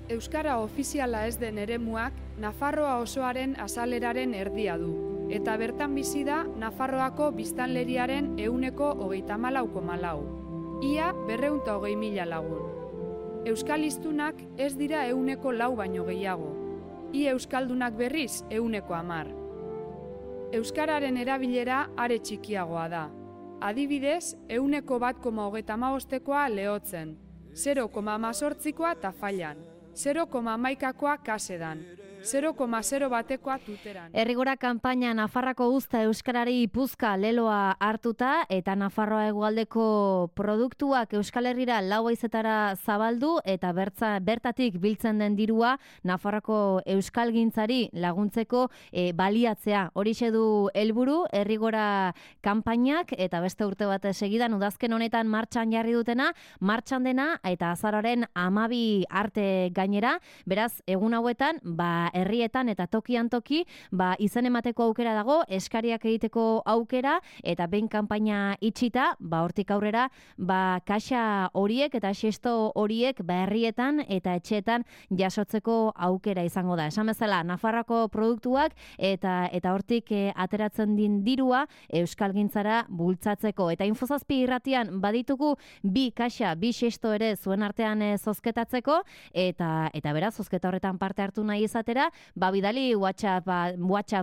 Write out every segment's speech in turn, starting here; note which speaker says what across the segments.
Speaker 1: euskara ofiziala ez den eremuak Nafarroa osoaren azaleraren erdia du, eta bertan bizi da Nafarroako biztanleriaren 34,4. Ia 220.000 lagun. Euskal hiztunak ez dira 4 baino gehiago. Ia euskaldunak berriz 10. Euskararen erabilera are txikiagoa da. Adibidez, 1,35koa lehotzen, 0,18koa Tafallan, 0,11koa Kasedan, 0,01koa Tuteran.
Speaker 2: Errigora kanpaina Nafarroako uzta euskarari ipuzka leloa hartuta eta Nafarroa hegoaldeko produktuak Euskal Herrira 4 haizetara zabaldu eta bertatik biltzen den dirua Nafarroako euskalgintzari laguntzeko baliatzea. Horixe du helburu Errigora kanpainak eta beste urte bat segidan udazken honetan martxan jarri dutena, martxan dena eta azaroaren 12 arte gainera. Beraz, egun hauetan, herrietan eta tokian toki, izen emateko aukera dago, eskariak egiteko aukera, eta behin kanpaina itxita, hortik aurrera, kaxa horiek eta xesto horiek herrietan eta etxeetan jasotzeko aukera izango da. Esan bezala, Nafarroako produktuak eta hortik ateratzen din dirua euskalgintzara bultzatzeko. Eta Infozazpi irratian baditugu 2 kaxa, 2 xesto ere zuen artean zozketatzeko, eta beraz, zozketa horretan parte hartu nahi izatera, bidali WhatsApp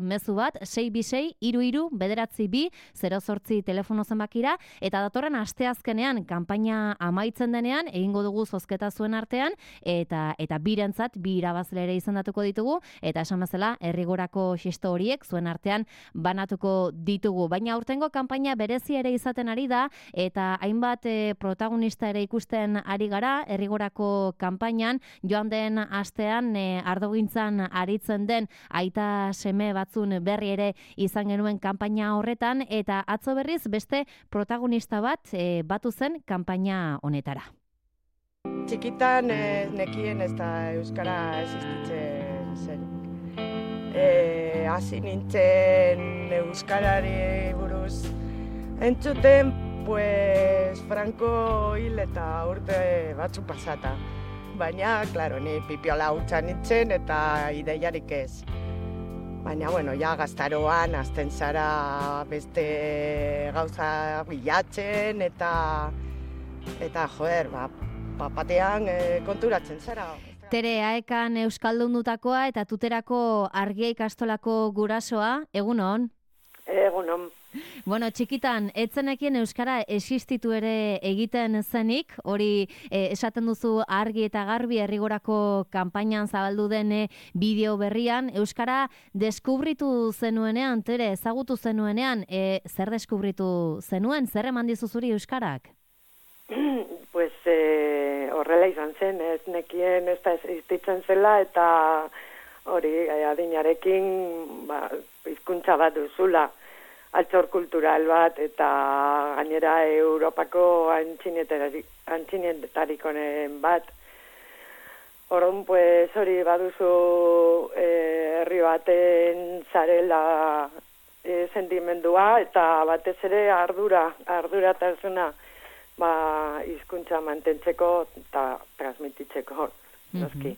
Speaker 2: mezu bat 626-33-982-08 telefono zenbakira, eta datorren asteazkenean kanpaina amaitzen denean egingo dugu zozketa zuen artean, eta birentzat 2 irabazle ere izendatuko ditugu, eta esan bezala Errigorako xesto horiek zuen artean banatuko ditugu. Baina aurtengo kanpaina berezi ere izaten ari da, eta hainbat protagonista ere ikusten ari gara Errigorako kanpainan. Joan den astean ardogintzan aritzen den aita seme batzun berri ere izan genuen kanpaina horretan, eta atzo berriz beste protagonista bat batu zen kanpaina honetara.
Speaker 3: Txikitan nekien ez da euskara existitzen zen. Hasi nintzen euskarari buruz entzuten, Franco hil eta urte batzu pasata. Baina, klaro, ni pipiola hutsa nintzen eta ideiarik ez. Baina, ja gaztaroan azten zara beste gauza bilatzen eta joder, batean konturatzen zara.
Speaker 2: Tere Aekan euskaldundutakoa eta Tuterako Argia ikastolako gurasoa, egunon?
Speaker 4: Egunon.
Speaker 2: Txikitan, etzenekien euskara existitu ere egiten zenik, hori esaten duzu Argi eta Garbi Errigorako kanpainan zabaldu den bideo berrian, euskara deskubritu zenuenean, Tere, ezagutu zenuenean, zer deskubritu zenuen, zer eman dizu zuri euskarak?
Speaker 4: Horrela izan zen, ez nekien ez da existitzen zela, eta hori adinarekin hizkuntza bat duzula. Altxor kultural bat eta gainera Europako antxinetarikonen bat. Orduan, hori baduzu herri baten zarela sentimendua eta batez ere arduratasuna hizkuntza mantentzeko eta transmititzeko. Noski.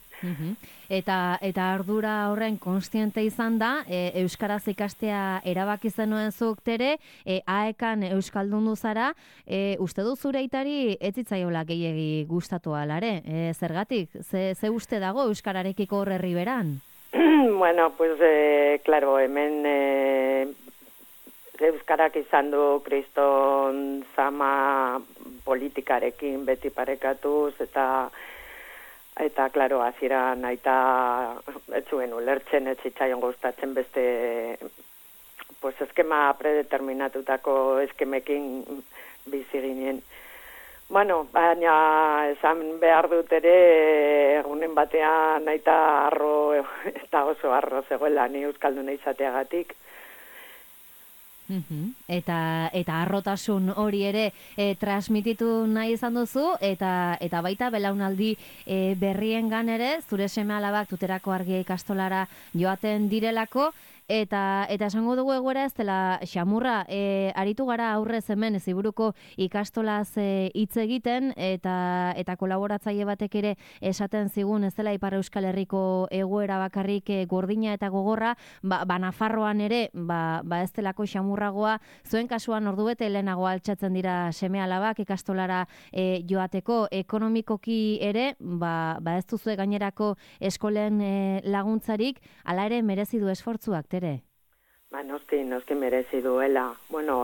Speaker 2: Eta ardura horren konstiente izan da, euskaraz ikastea erabaki zenuen zuk, Tere, Aekan euskaldundu zara, uste du zure aitari ez zitzaiola gehiegi gustatu alare, zergatik? Ze uste dago euskararekiko herri beran?
Speaker 4: Claro, hemen euskarak izan du kriston zama politikarekin beti parekatuz, eta, klaro, hasieran aita ez zuen ulertzen, ez zitzaion gustatzen beste eskema predeterminatutako eskemekin bizi ginen. Baina esan behar dut ere egunen batean aita eta oso harro zegoela ni euskalduna izateagatik.
Speaker 2: Eta harrotasun hori ere transmititu nahi izan duzu, eta baita belaunaldi berriengan ere, zure seme-alabak Tuterako Argia ikastolara joaten direlako, Eta esango dugu egoera ez dela xamurra, aritu gara aurrez hemen Ziburuko ikastolaz hitz egiten eta kolaboratzaile batek ere esaten zigun ez dela Ipar Euskal Herriko egoera bakarrik gordina eta gogorra, Nafarroan ere ez delako xamurragoa, zuen kasuan ordubete lehenago altxatzen dira seme-alabak ikastolara joateko, ekonomikoki ere, ez duzue gainerako eskolen laguntzarik, hala ere merezi du esfortzuak, Tere?
Speaker 4: Noski merezi duela. Bueno,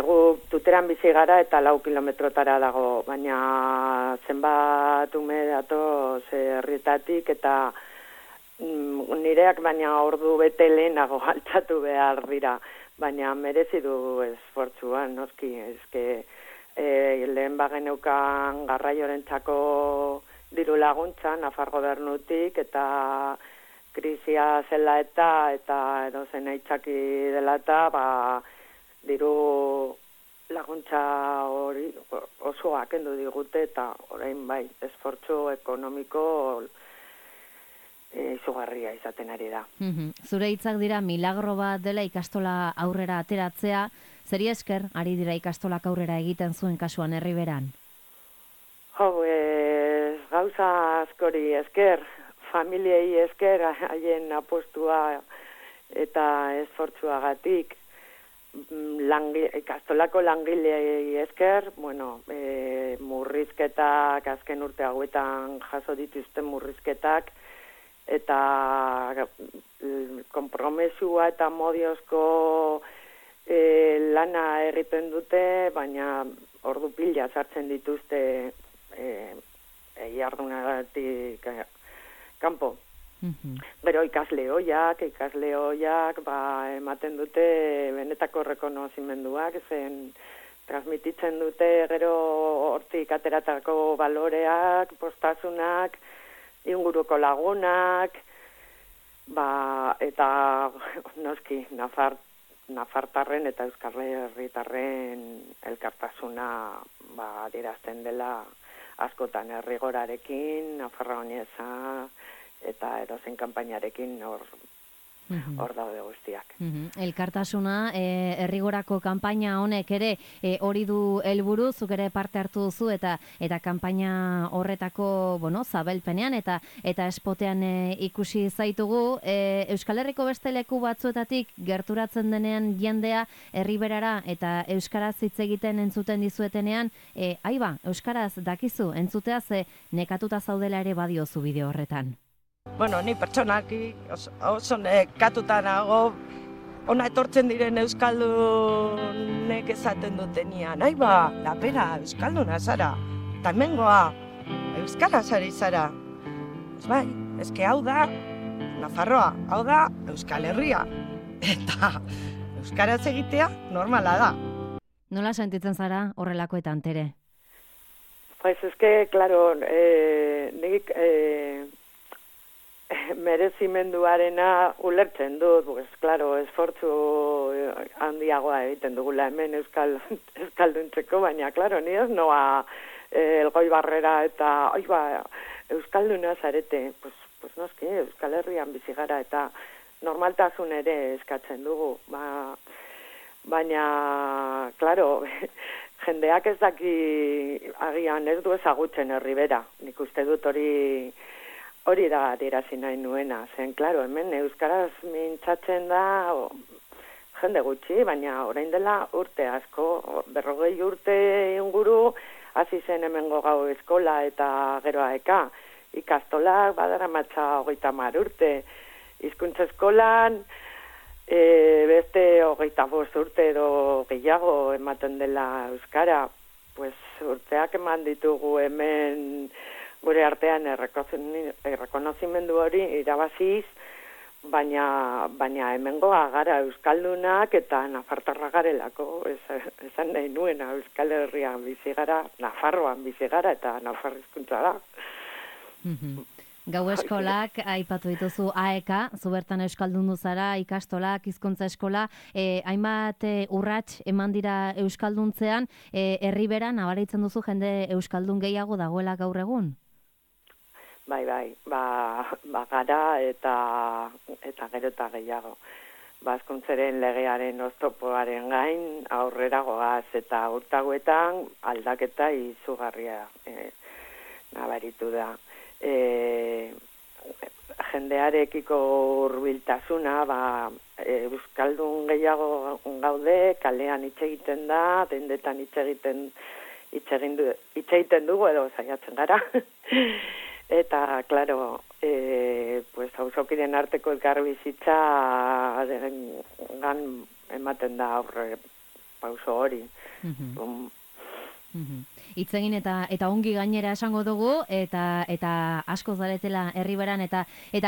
Speaker 4: gu Tuteran bizi gara eta 4 kilometrotara dago, baina zenbat ume datoz herrietatik eta nireak baina ordu bete lehenago altxatu behar dira, baina merezi du esfortzua, noski, lehen bageneukan garraiorentzako diru laguntza Nafar gobernutik eta krisia zela eta edozen aitzaki dela eta diru laguntza hori osoa kendu digute eta orain bai esfortzu ekonomiko izugarria izaten ari da.
Speaker 2: Zure hitzak dira milagro bat dela ikastola aurrera ateratzea, zeri esker ari dira ikastolak aurrera egiten zuen kasuan Herriberan?
Speaker 4: Gauza askori esker, familiei esker, haien apostua eta esfortzuagatik, ikastolako langilei esker, murrizketak, azken urte hauetan jaso dituzten murrizketak, eta konpromesua eta modiozko lana egiten dute, baina ordu pila sartzen dituzte jardunagatik kanpo. Gero ikasle hoiak ematen dute benetako rekonozimenduak, zen transmititzen dute gero hortik ateratako baloreak, postasunak, inguruko lagunak, eta noski Nafartarren eta Euskal Herritarren elkartasuna adierazten dela askotan errigorarekin, Nafarra Oineza eta edozein kanpainarekin hor daude guztiak.
Speaker 2: Elkartasuna, errigorako kanpaina honek ere hori du helburu, zuk ere parte hartu duzu eta kanpaina horretako zabelpenean eta espotean ikusi zaitugu. Euskal Herriko beste leku batzuetatik gerturatzen denean jendea Herriberara eta euskaraz hitz egiten entzuten dizuetenean, euskaraz dakizu entzutea ze nekatuta zaudela ere badiozu bideo horretan.
Speaker 3: Ni pertsonaki oso nekatuta nago, ona etortzen diren euskaldunek esaten dutenian. Lapera, euskalduna zara, eta hemengoa, euskaraz ari zara. Hau da Nafarroa, hau da Euskal Herria. Eta euskaraz egitea normala da.
Speaker 2: Nola sentitzen zara horrelakoetan, Tere?
Speaker 4: Claro, nik merezimenduarena ulertzen dut, esfortzu handiagoa egiten dugula hemen euskalduntzeko, baina, ni ez noa Elgoi Barrera eta euskalduna zarete, noski, Euskal Herrian bizi gara eta normaltasun ere eskatzen dugu, baina, jendeak ez daki agian ez du ezagutzen Herribera, nik uste dut hori da adirazi nahi nuena, zen, hemen euskaraz mintzatzen da jende gutxi, baina orain dela urte asko, 40 urte inguru, hasi zen hemengo gau eskola eta gero aeka, ikastolak badaramatza 30 urte, hizkuntza eskolan, beste 25 urte edo gehiago ematen dela euskara, urteak eman ditugu hemen gure artean errekonozimendu hori irabaziz, baina hemengoa gara euskaldunak eta nafartarra garelako, esan nahi nuena Euskal Herrian bizi gara, Nafarroan bizi gara eta Nafar hizkuntza da.
Speaker 2: Gau eskolak, aipatu dituzu AEK, zu bertan euskaldundu zara, ikastolak, hizkuntza eskola, hainbat urrats eman dira euskalduntzean, Herriberan nabaritzen duzu jende euskaldun gehiago dagoela gaur egun?
Speaker 4: bai, gara eta gero eta gehiago. Bazkuntzeren legearen oztopoaren gain aurrera goaz eta urtagoetan aldaketa izugarria nabaritu da. Jendearekiko hurbiltasuna, euskaldun gehiago gaude, kalean hitz egiten da, dendetan hitz egiten dugu edo saiatzen gara. Eta, klaro, pues, auzokiren arteko elkarbizitza ematen da aurre pauso hori.
Speaker 2: Hitz egin eta ongi gainera esango dugu, eta asko zaretela herriberan, eta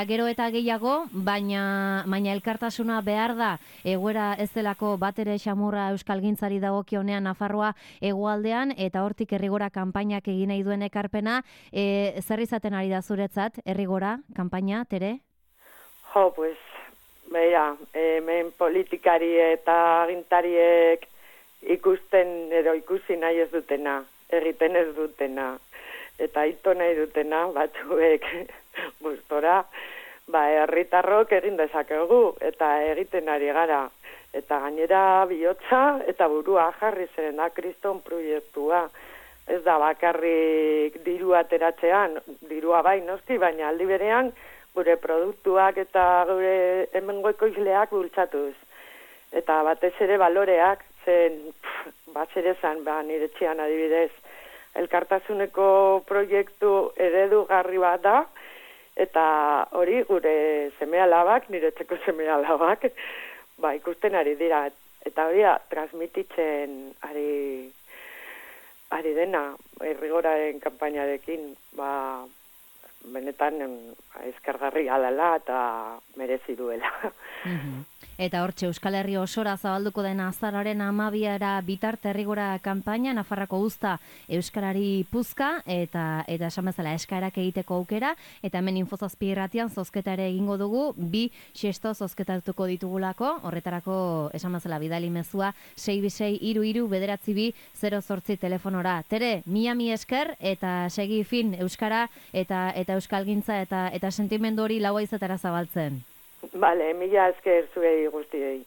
Speaker 2: gero eta gehiago, baina elkartasuna behar da, egoera ez delako batere xamurra euskalgintzari dagokionean Nafarroa hegoaldean, eta hortik Herrigora kanpainak egin nahi duen ekarpena, zer izaten ari da zuretzat, Herrigora kanpaina, Tere?
Speaker 4: Jo, pues, beira, hemen politikari eta agintariek ikusten edo ikusi nahi ez dutena, egiten ez dutena, eta ito nahi dutena, batzuek gustora, herritarrok egin dezakegu, eta egiten ari gara. Eta gainera bihotza eta burua jarri zeren da kriston proiektua. Ez da bakarrik diru ateratzean, dirua bai noski, baina aldi berean gure produktuak eta gure hemengo ekoizleak bultzatuz. Eta batez ere baloreak, zen batzerezan, nire txian adibidez, elkartasuneko proiektu eredugarri bat da, eta hori gure seme-alabak, nire txeko seme-alabak, ikusten ari dira, eta hori transmititzen ari dena, Herrigoraren kanpainarekin, benetan eskargarria dela eta merezi duela.
Speaker 2: Eta hortxe Euskal Herri osora zabalduko den azararen 12 bitarte Herrigora kanpaina, Nafarrako uzta euskarari puzka, eta esan bezala eskaerak egiteko aukera, eta hemen Infozazpi irratian zozketa ere egingo dugu, 2 xesto zozketatuko ditugulako, horretarako esan bezala bidali mezua 626332908 telefonora. Tere, mila esker, eta segi fin euskara eta euskalgintza eta sentimendu hori laua izetara zabaltzen.
Speaker 4: Bale, mila esker zuei guztiei.